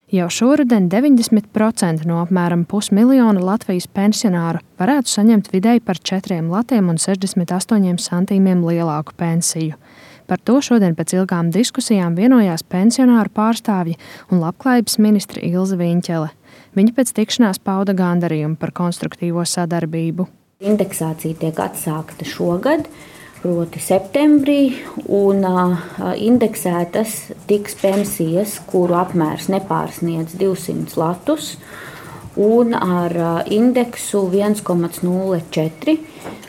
Jau šoruden 90% no apmēram 500 000 Latvijas pensionāru varētu saņemt vidēji par 4,68 centiem lielāku pensiju. Par to šodien pēc ilgām diskusijām vienojās pensionāru pārstāvji un labklājības ministre Ilze Viņķele. Viņa pēc tikšanās pauda gandarījumu par konstruktīvo sadarbību. Indeksācija tiek atsākta šogad, proti septembrī, un indeksētas tiks pensijas, kuru apmērs nepārsniedz 200 latus, un ar indeksu 1,04,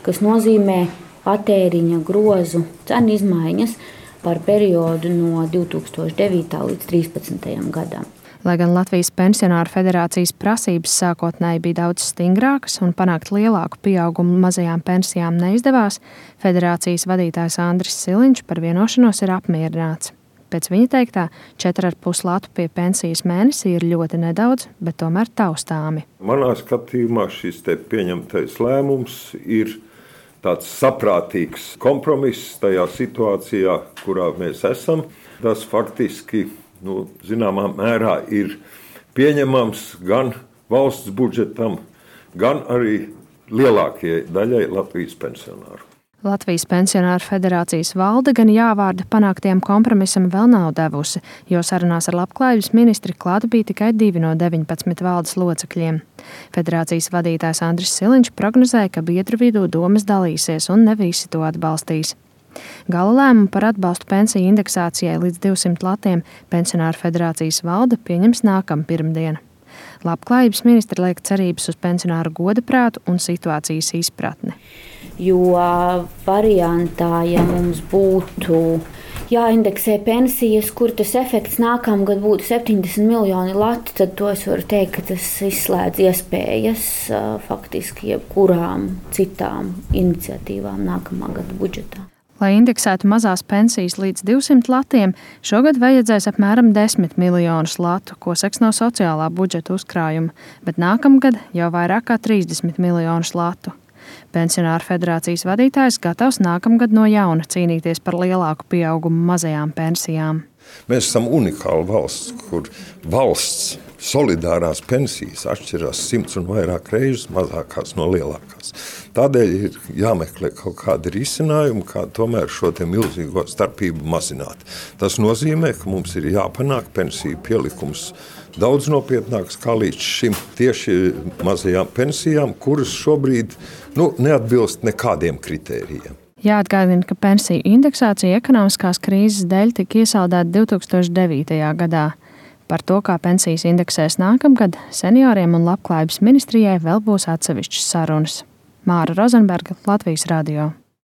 kas nozīmē patēriņa grozu cenu izmaiņas par periodu no 2009. līdz 2013. gadam. Lai gan Latvijas pensionāru federācijas prasības sākotnēji bija daudz stingrākas un panākt lielāku pieaugumu mazajām pensijām neizdevās, federācijas vadītājs Andris Siliņš par vienošanos ir apmierināts. Pēc viņa teiktā, 4,5 latu pie pensijas mēnesī ir ļoti nedaudz, bet tomēr taustāmi. Manā skatījumā šis te pieņemtais lēmums ir tāds saprātīgs kompromiss tajā situācijā, kurā mēs esam. Tas faktiski zināmā mērā ir pieņemams gan valsts budžetam, gan arī lielākajai daļai Latvijas pensionāru. Latvijas pensionāru federācijas valde gan jāvārda panāktiem kompromisam vēl nav devusi, jo sarunās ar labklājības ministri klāt bija tikai 2 no 19 valdes locekļiem. Federācijas vadītājs Andris Siliņš prognozēja, ka biedru vidū domas dalīsies un ne visi to atbalstīs. Gala lēmumu par atbalstu pensiju indeksācijai līdz 200 latiem pensionāru federācijas valde pieņems nākamā pirmdiena. Labklājības ministre liek cerības uz pensionāru godaprātu un situācijas izpratni. Jo variantā, ja mums būtu jāindeksē pensijas, kur tas efekts nākamgad būtu 70 miljoni lati, tad to es varu teikt, ka tas izslēdz iespējas faktiski jebkurām citām iniciatīvām nākamā gada budžetā. Lai indeksētu mazās pensijas līdz 200 latiem, šogad vajadzēs apmēram 10 miljonus latu, ko seks no sociālā budžeta uzkrājuma, bet nākamgad jau vairāk kā 30 miljonus latu. Pensionāru federācijas vadītājs gatavs nākamgad no jauna cīnīties par lielāku pieaugumu mazajām pensijām. Mēs esam unikāla valsts, kur valsts solidārās pensijas atšķirās 100 un vairāk reizes mazākās no lielākās. Tādēļ ir jāmeklē kaut kādi risinājumi, kā tomēr šo te milzīgo starpību mazināt. Tas nozīmē, ka mums ir jāpanāk pensiju pielikums daudz nopietnāks kā līdz šim tieši mazajām pensijām, kuras šobrīd neatbilst nekādiem kritērijiem. Jāatgādina, ka pensiju indeksācija ekonomiskās krīzes dēļ tika iesaldēta 2009. gadā. Par to, kā pensijas indeksēs nākamgad, senioriem un labklājības ministrijai vēl būs atsevišķas sarunas. Māra Rozenberga, Latvijas radio.